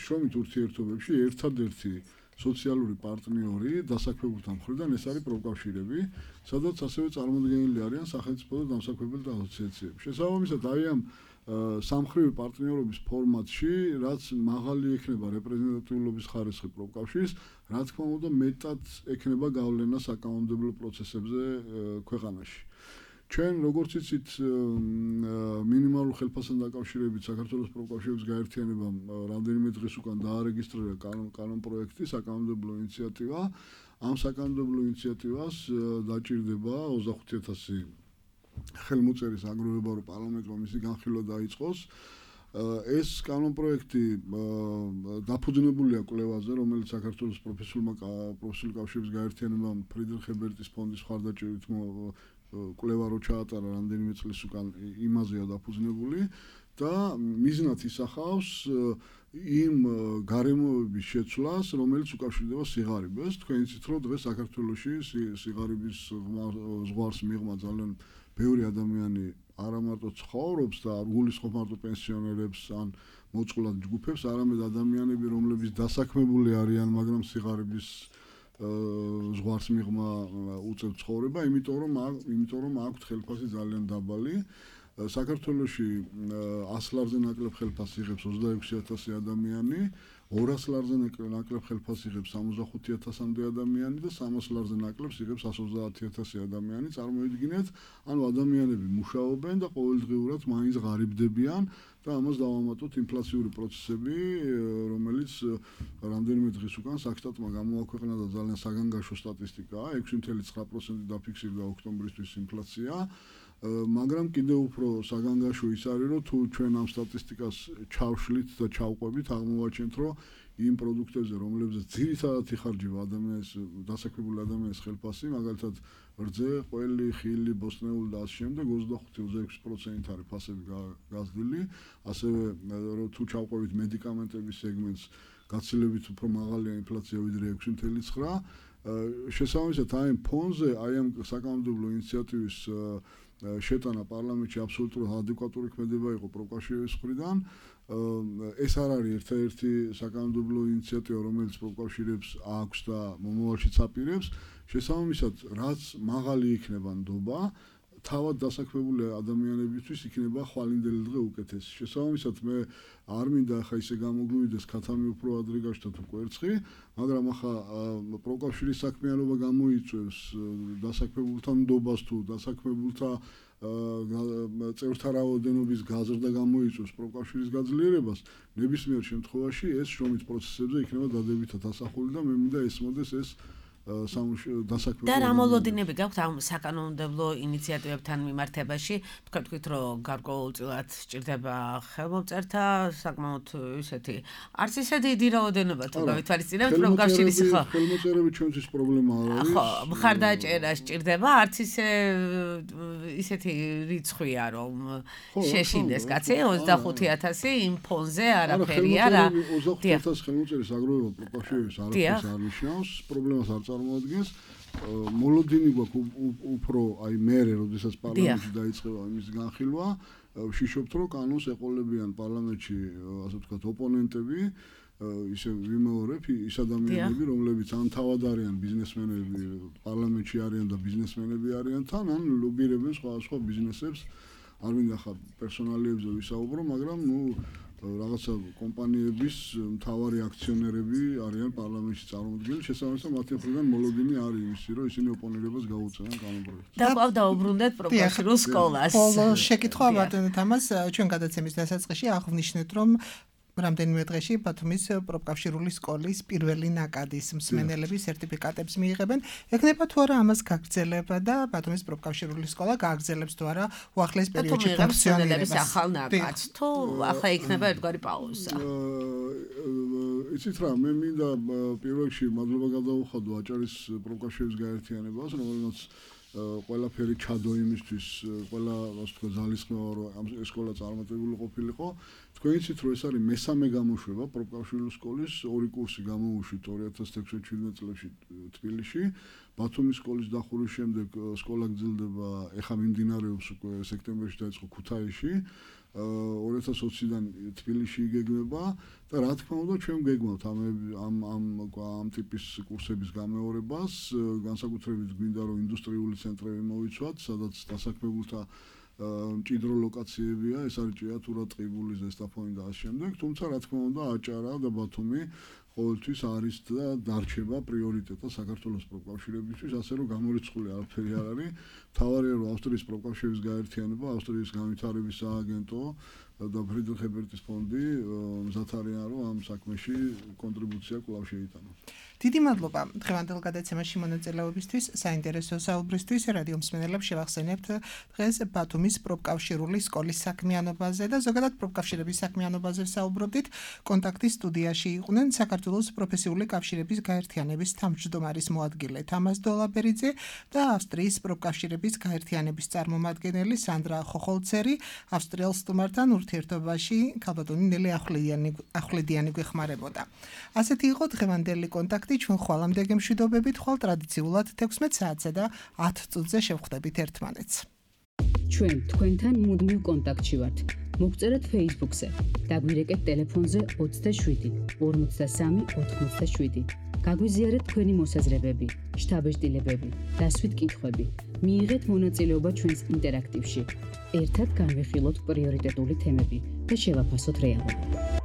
შრომით ურთიერთობებში ერთადერთი სოციალური პარტნიორი დასაქმებულთა მხრიდან ეს არის პროფკავშირები, სადაც ასევე წარმოდგენილი არიან სახელმწიფო და დამსაქმებელთა ასოციაციები. შესაბამისად, აი ამ სამხრივი პარტნიორობის ფორმატში, რაც მაღალი ექნება რეპრეზენტატიულობის ხარისხი პროფკავშირს, რა თქმა უნდა, მეტად ექნება გავლენა საკანონმდებლო პროცესებზე ქვეყანაში. ჩვენ როგორც იცით, მინიმალურ ხელფასთან დაკავშირებით საქართველოს პროფკავშირების გაერთიანებამ რამდენიმე დღის უკან დაარეგისტრირა კანონპროექტი, საკანონმდებლო ინიციატივა. ამ საკანონმდებლო ინიციატივას დაჭირდება ოცდახუთი ათასი ხელმოწერის აგროვება, რომ პარლამენტმა მისი განხილვა დაიწყოს. ეს კანონპროექტი დაფუძნებულია კვლევაზე, რომელიც საქართველოს პროფესიულმა პროფესიული კავშირების გაერთიანებამ ფრიდრიხ ებერტის ფონდის მხარდაჭერით კვლევა რო ჩაატარა რამდენიმე წლის უკან იმაზეა დაფუძნებული და მიზნად ისახავს იმ გარემოების შეცვლას, რომელიც უკავშირდება სიღარიბეს. თქვენ იცით, რომ დღეს საქართველოში სიღარიბის ზღვარს მიღმა ძალიან ბევრი ადამიანი არა მარტო ცხოვრობს და არ გულისხმობს მარტო პენსიონერებს ან მოწყვლად ჯგუფებს, არამედ ადამიანები, რომლებიც დასაქმებული არიან, მაგრამ სიღარიბის ზღვარს მიღმა უწევთ ცხოვრება, იმიტომ რომ იმიტომ რომ აქვთ ხელფასი ძალიან დაბალი. საქართველოში ას ლარზე ნაკლებ ხელფასს იღებს ოცდაექვსი ათასი ადამიანი, ორას ლარზე ნაკლებ ხელფასს იღებს სამოცდახუთი ათასამდე ადამიანი და სამას ლარზე ნაკლებს იღებს εκατს ოცდაათი ათასი ადამიანი. წარმოიდგინეთ, ანუ ადამიანები მუშაობენ და ყოველდღიურად მაინც ღარიბდებიან და ამას დავამატოთ ინფლაციური პროცესები, რომელიც რამდენიმე დღის უკან საქსტატმა გამოაქვეყნა და ძალიან საგანგაშო სტატისტიკაა, ექვსი კoma ცხრა პროცენტი დაფიქსირდა ოქტომბრისთვის ინფლაცია. მაგრამ კიდევ უფრო საგანგაშო ის არის, რომ თუ ჩვენ ამ სტატისტიკას ჩავშლით და ჩავყვებით, აღმოვაჩენთ, რომ იმ პროდუქტებზე, რომლებზეც ძირითადად იხარჯება ადამიანის დასაქმებული ადამიანის ხელფასი, მაგალითად რძე, ყველი, ხილი, ბოსტნეული და ასე შემდეგ ოცდახუთი ოცდაექვსი პროცენტით არის ფასები გაზრდილი, ასევე თუ ჩავყვებით მედიკამენტების სეგმენტს, გაცილებით უფრო მაღალია ინფლაცია ვიდრე ექვსი წუთი ცხრა. შესაბამისად, აი ამ ფონზე, აი ამ საკანონმდებლო ინიციატივის შეტანა პარლამენტში აბსოლუტურად ადეკვატური ქმედება იყო პროფკავშირების მხრიდან. ეს არ არის ერთ-ერთი საკანონმდებლო ინიციატივა, რომელიც პროფკავშირებს აქვს და მომავალშიც აპირებს. შესაბამისად, რაც მაღალი იქნება ნდობა, თავად დასაქმებული ადამიანებისთვის იქნება ხვალინდელი დღე უკეთესი. შესაბამისად, მე არ მინდა ახლა ისე გამოგვივიდეს ქათამი უფრო ადრე გაჩნდა თუ კვერცხი, მაგრამ ახლა პროფკავშირის საქმიანობა გამოიწვევს დასაქმებულთა ნდობას თუ დასაქმებულთა წევრთა რაოდენობის გაზრდა გამოიწვევს პროფკავშირის გაძლიერებას, ნებისმიერ შემთხვევაში ეს შრომის პროცესებზე იქნება დადებითად ასახული და მე მინდა ესმოდეს ეს დასაქმებული. და რა მოლოდინები გაქვთ ამ საკანონმდებლო ინიციატივებთან მიმართებაში? თქვენ თქვით, რომ გარკვეულწილად სჭირდება ხელმომწერთა საკმაოდ ისეთი არც ისე დიდი რაოდენობა თუ გავითვალისწინებთ პროფკავშირის ხო? ხელმოწერები ჩვენთვის პრობლემა არ არის. ხო, მხარდაჭერა სჭირდება, არც ისე ისეთი რიცხვია, რომ შეშინდეს კაცი ოცდახუთი ათასი იმ ფონზე არაფერი არა. ოცდახუთი ათასი ხელმოწერის აგროვება პროფკავშირების არაფერს არ ნიშნავს, პრობლემას არ წარმოადგენს. მოლოდინი გვაქვს უფრო აი მერე, როდესაც პარლამენტში დაიწყება იმის განხილვა, ვშიშობთ, რომ კანონს ეყოლებიან პარლამენტში, ასე ვთქვათ, ოპონენტები, ისე ვიმეორებ ის ადამიანები, რომლებიც ან თავად არიან ბიზნესმენები, პარლამენტში არიან და ბიზნესმენები არიან თან, ან ლობირებენ სხვადასხვა ბიზნესებს. არ მინდა ხა პერსონალიებზე ვისაუბრო, მაგრამ ნუ რაღაცა კომპანიების მთავარი აქციონერები არიან პარლამენტში წარმოდგენილი, შესაბამისად მათი მხრიდან მოლოდინი არის იმისი, რომ ისინი ოპონირებას გაუწევენ კანონპროექტს. და ყავ დაუბრუნდეთ პროფკავშირულ სკოლას. ბოლო შეკითხვა ბატონო თამას, ჩვენ გადაცემის დასაწყისში აღვნიშნეთ, რომ რამდენიმე დღეში ბათუმის პროფკავშირული სკოლის პირველი ნაკადის მსმენელები სერტიფიკატებს მიიღებენ. ეკნება თუ არა ამას გაგრძელება და ბათუმის პროფკავშირული სკოლა გააგრძელებს თუ არა უახლეს პერიოდში ფუნქციონირებას. ახალ ნაკადს თუ ახლა იქნება ერთგვარი პაუზა. იცით რა, მე მინდა პირველ რიგში მადლობა გადაუხადო აჭარის პროფკავშირების გაერთიანებას, რომელსაც ყველაფერი ჩადო იმისთვის, ყველა ასე ვთქვათ ძალისხმევა რომ ამ სკოლა წარმატებული ყოფილიყო. თქვენ იცით რომ ეს არის მესამე გამოშვება პროფკავშირული სკოლის, ორი კურსი გამოუშვით ორი ათას ექვსმეტ წლებში თბილისში. ბათუმის სკოლის დახურვის შემდეგ სკოლა გრძელდება, ეხლა მიმდინარეობს უკვე სექტემბერში დაიწყო ქუთაისში. ორი ათას ოციდან თბილისში იგეგმება და რა თქმა უნდა ჩვენ გეგმავთ ამ ამ ამ ამ ტიპის კურსების გამეორებას, განსაკუთრებით გვინდა რომ ინდუსტრიული ცენტრები მოვიცვათ, სადაც დასაქმებულთა მჭიდრო ლოკაციებია, ეს არის ჭიათურა, ტყიბული, ზესტაფონი და ასე შემდეგ, თუმცა რა თქმა უნდა აჭარა და ბათუმი ყოველთვის არის და დარჩება პრიორიტეტად საქართველოს პროფკავშირებისთვის, ასე რომ გამორიცხული არაფერი არ არის. თავარია რომ ავსტრიის პროფკავშირების გაერთიანება, ავსტრიის განვითარების სააგენტო და ფრიდრიხ ებერტის ფონდი მზად არიან რომ ამ საქმეში კონტრიბუცია კვლავ შეიტანოს. დიდი მადლობა დღევანდელ გადაცემაში მონაწილეობისთვის, საინტერესო საუბრისთვის. რადიო მსმენელებს შევახსენებთ დღეს ბათუმის პროფკავშირული სკოლის საქმიანობაზე და ზოგადად პროფკავშირების საქმიანობაზე საუბრობდით. კონტაქტის სტუდიაში იყვნენ საქართველოს პროფესიული კავშირების გაერთიანების თავმჯდომარის მოადგილე თამას დოლაბერიძე და ავსტრიის პროფკავშირების გაერთიანების წარმომადგენელი სანდრა ხოხოლცერი. ავსტრიელ სტუმართან ურთიერთობაში ქალბატონი ნელი ახვლედიანი გვეხმარებოდა. ასეთი იყო დღევანდელი კონტაქტი. ჩვენ ხვალამდე გემშვიდობებით, ხვალ ტრადიციულად თექვსმეტ საათსა და ათ წუთზე შევხვდებით ერთმანეთს. ჩვენ თქვენთან მუდმივ კონტაქტში ვართ. მოგწერეთ Facebook-ზე, დაგვირეკეთ ტელეფონზე ოცდაშვიდი ორმოცდასამი ოთხმოცდაშვიდი. გაგვიზიარეთ თქვენი მოსაზრებები, შთაბეჭდილებები, დასვით კითხვები. მიიღეთ მონაწილეობა ჩვენს ინტერაქტივში. ერთად განვიხილოთ პრიორიტეტული თემები და შევაფასოთ რეალობა.